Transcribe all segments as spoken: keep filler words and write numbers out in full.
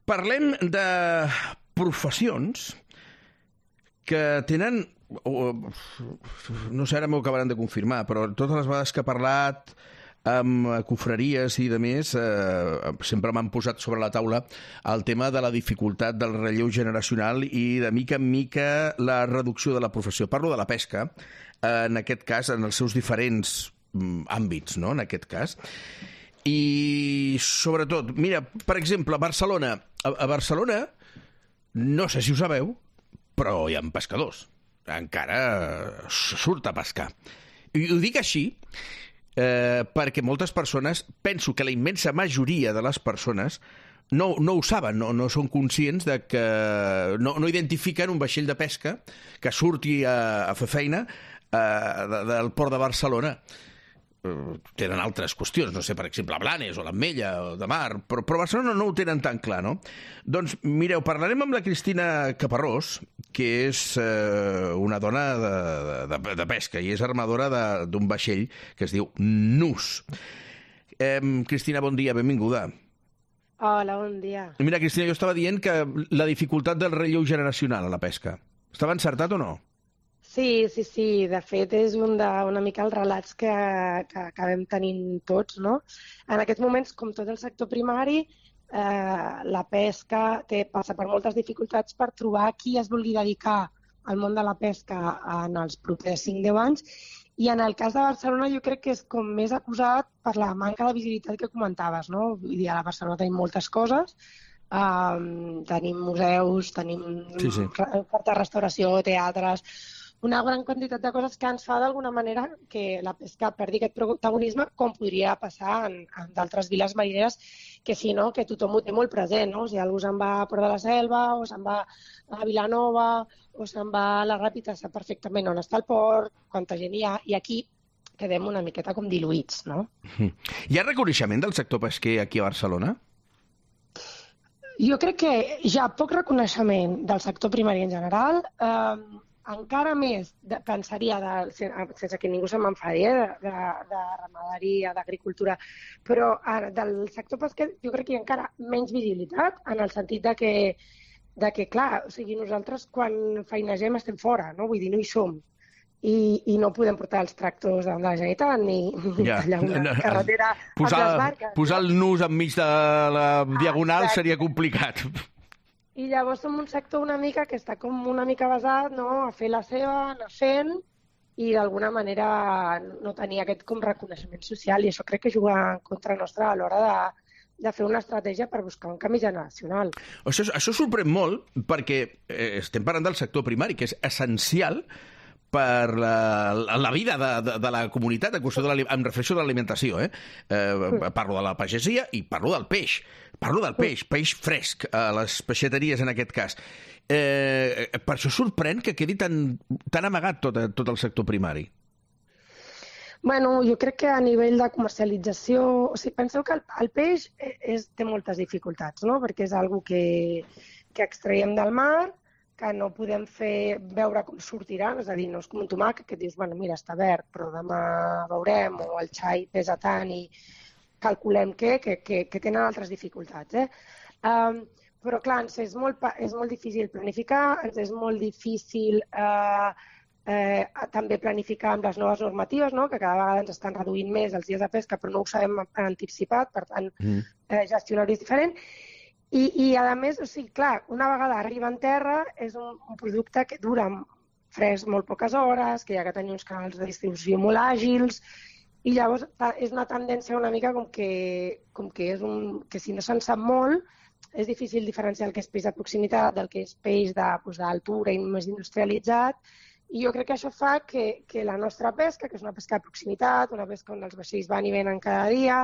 Parlem de professions que tenen, no sé, ara m'ho acabaran de confirmar, però totes les vegades que he parlat amb confraries i de més, eh, sempre m'han posat sobre la taula el tema de la dificultat del relleu generacional i de mica en mica la reducció de la professió. Parlo de la pesca, eh, en aquest cas, en els seus diferents mm, àmbits, no?, en aquest cas. I, sobretot, mira, per exemple, a Barcelona. A, a Barcelona, no sé si ho sabeu, però hi ha pescadors. Encara surt a pescar. I ho dic així eh, perquè moltes persones, penso que la immensa majoria de les persones no, no ho saben, no, no són conscients de que no, no identifiquen un vaixell de pesca que surti a, a fer feina eh, de, del port de Barcelona. Tenen altres qüestions, no sé, per exemple, Blanes o l'Ametlla o de Mar, però, però Barcelona no ho tenen tan clar, no? Doncs, mireu, parlarem amb la Cristina Caparrós, que és eh, una dona de, de, de pesca i és armadora d'un vaixell que es diu Nus. Eh, Cristina, bon dia, benvinguda. Hola, bon dia. Mira, Cristina, jo estava dient que la dificultat del relleu generacional a la pesca. Estava encertat o no? Sí, sí, sí. De fet, és un de, una mica els relats que, que acabem tenint tots, no? En aquests moments, com tot el sector primari, eh, la pesca té, passa per moltes dificultats per trobar qui es vulgui dedicar al món de la pesca en els propers cinc a deu anys. I en el cas de Barcelona jo crec que és com més acusat per la manca de visibilitat que comentaves, no? Vull dir, a la Barcelona tenim moltes coses, um, tenim museus, tenim sí, sí. oferta de restauració, teatres, una gran quantitat de coses que ens fa d'alguna manera que la pesca perdi aquest protagonisme, com podria passar en, en d'altres viles marineres, que si no, que tothom ho té molt present, no? Si algú se'n va a Port de la Selva, o se'n va a Vilanova, o se'n va a la Ràpita, sap perfectament on està el port, quanta gent hi ha, i aquí quedem una miqueta com diluïts, no? Hi ha reconeixement del sector pesquer aquí a Barcelona? Jo crec que hi ha poc reconeixement del sector primari en general, eh, encara més, de, pensaria, de, sense que ningú se m'enfadi, eh, de, de ramaderia, d'agricultura, però eh, del sector pesquer jo crec que hi ha encara menys visibilitat, en el sentit de que, de que clar, o sigui, nosaltres quan feinegem estem fora, no? Vull dir, no hi som. I, i no podem portar els tractors de la Generalitat ni, ni ja. tallar una carretera posar, amb les barques. Posar el nus enmig de la diagonal ah, seria complicat. I llavors som un sector una mica que està com una mica basat, no?, a fer la seva, anar fent, i d'alguna manera no tenir aquest com reconeixement social, i això crec que juga en contra nostra a l'hora de, de fer una estratègia per buscar un canvi generacional. Això, això sorprèn molt perquè eh, estem parlant del sector primari, que és essencial per la, la vida de, de, de la comunitat, en qüestió de la, em refereixo de l'alimentació, eh? eh? Parlo de la pagesia i parlo del peix. Parlo del peix, peix fresc, a les peixateries en aquest cas. Eh, per això sorprèn que quedi tan, tan amagat tot, tot el sector primari. Bueno, jo crec que a nivell de comercialització... O sigui, penseu que el, el peix és, té moltes dificultats, no? Perquè és algo que, que extraiem del mar, que no podem fer veure com sortirà, és a dir, no és com un tomàquet que dius, bueno, mira, està verd, però demà veurem, o el xai pesa tant i calculem què, que, que, que tenen altres dificultats. Eh? Um, però, clar, ens és molt, és molt difícil planificar, ens és molt difícil eh, eh, també planificar amb les noves normatives, no? Que cada vegada ens estan reduint més els dies de pesca, però no ho sabem anticipat, per tant, mm. eh, gestionar-ho és diferent. I, i a més, o sigui, clar, una vegada arriba en terra és un, un producte que dura fresc molt poques hores, que hi ha que tenir uns canals de distribució molt àgils, i llavors és una tendència una mica com que, com que, és un, que si no se'n sap molt, és difícil diferenciar el que és peix de proximitat del que és peix d'altura i més industrialitzat, i jo crec que això fa que, que la nostra pesca, que és una pesca de proximitat, una pesca on els vaixells van i venen cada dia,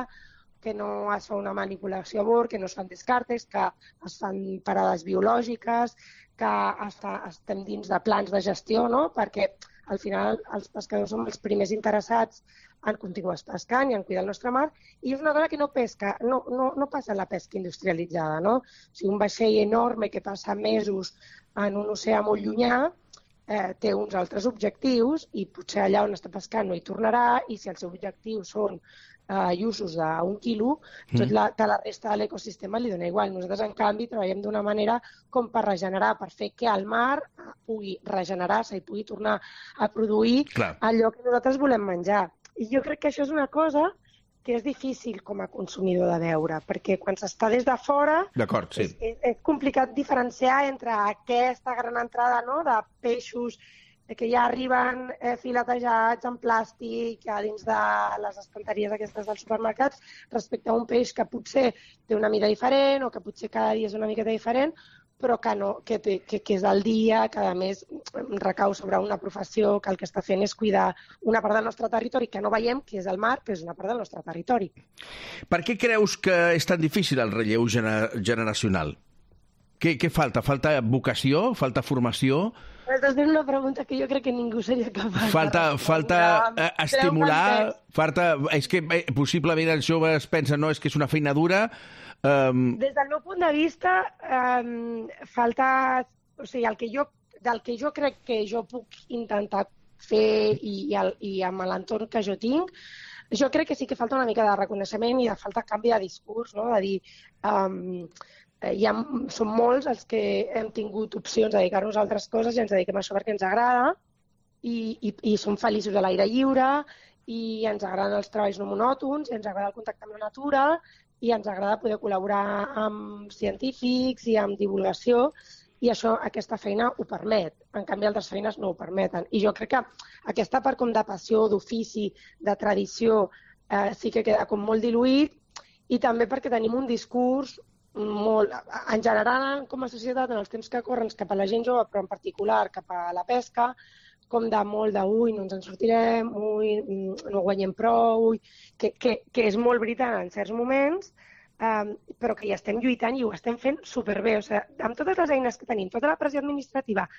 que no es fa una manipulació a bord, que no es fan descartes, que es fan parades biològiques, que està, estem dins de plans de gestió, no? Perquè al final els pescadors som els primers interessats en continuar pescant i en cuidar el nostre mar, i és una cosa que no pesca, no, no, no passa la pesca industrialitzada, no? O sigui, un vaixell enorme que passa mesos en un oceà molt llunyà, eh, té uns altres objectius i potser allà on està pescant no hi tornarà, i si els seus objectius són eh, usos d'un quilo, tot la, de la resta de l'ecosistema li dona igual. Nosaltres, en canvi, treballem d'una manera com per regenerar, per fer que el mar pugui regenerar-se i pugui tornar a produir Clar. allò que nosaltres volem menjar. I jo crec que això és una cosa que és difícil com a consumidor de veure, perquè quan s'està des de fora sí. és, és, és complicat diferenciar entre aquesta gran entrada, no?, de peixos que ja arriben eh, filetejats en plàstic a dins de les estanteries aquestes dels supermercats, respecte a un peix que potser té una mida diferent o que potser cada dia és una miqueta diferent, però que, no, que, té, que, que és el dia, que a més recau sobre una professió que el que està fent és cuidar una part del nostre territori, que no veiem, que és el mar, però és una part del nostre territori. Per què creus que és tan difícil el relleu gener generacional? Què, què falta? Falta vocació? Falta formació? Aquesta és una pregunta que jo crec que ningú seria capaç falta, de falta eh, estimular, falta, és que eh, possiblement els joves pensen no, és que és una feina dura. Um... Des del meu punt de vista, um, falta, o sigui, el que jo, del que jo crec que jo puc intentar fer i, i, el, i amb l'entorn que jo tinc, jo crec que sí que falta una mica de reconeixement i de falta de canvi de discurs, no? De dir, um, hi ha, som molts els que hem tingut opcions de dedicar-nos a altres coses i ens dediquem a això perquè ens agrada i, i, i som feliços a l'aire lliure i ens agraden els treballs no monòtons i ens agrada el contacte amb la natura i ens agrada poder col·laborar amb científics i amb divulgació, i això, aquesta feina ho permet. En canvi, altres feines no ho permeten. I jo crec que aquesta part com de passió, d'ofici, de tradició, eh, sí que queda com molt diluït, i també perquè tenim un discurs molt, en general, com a societat, en els temps que corren cap a la gent jove, però en particular cap a la pesca, com de molt de, ui, no ens en sortirem, ui, no guanyem prou, ui, que, que, que és molt veritat en certs moments, um, però que hi estem lluitant i ho estem fent superbé. O sigui, amb totes les eines que tenim, tota la pressió administrativa,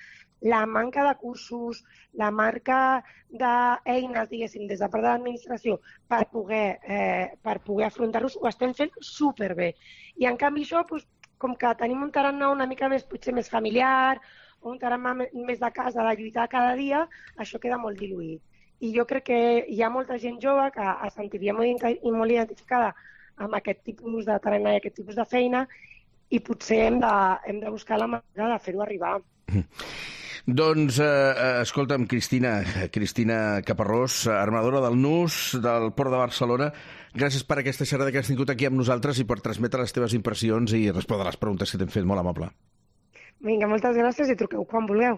la manca de cursos, la manca d'eines, diguéssim, des de part de l'administració per poder, eh, per poder afrontar-los, ho estem fent superbé. I en canvi això, doncs, com que tenim un tarannà una mica més, potser més familiar, un tarannà més de casa, de lluitar cada dia, això queda molt diluït. I jo crec que hi ha molta gent jove que es sentiria molt, molt identificada amb aquest tipus de tarannà i aquest tipus de feina, i potser hem de, hem de buscar la manera de fer-ho arribar. Doncs, eh, escolta'm, Cristina, Cristina Caparrós, armadora del Nus, del Port de Barcelona, gràcies per aquesta xerrada que has tingut aquí amb nosaltres i per transmetre les teves impressions i respondre les preguntes que t'hem fet. Molt amable. Vinga, moltes gràcies i truqueu quan vulgueu.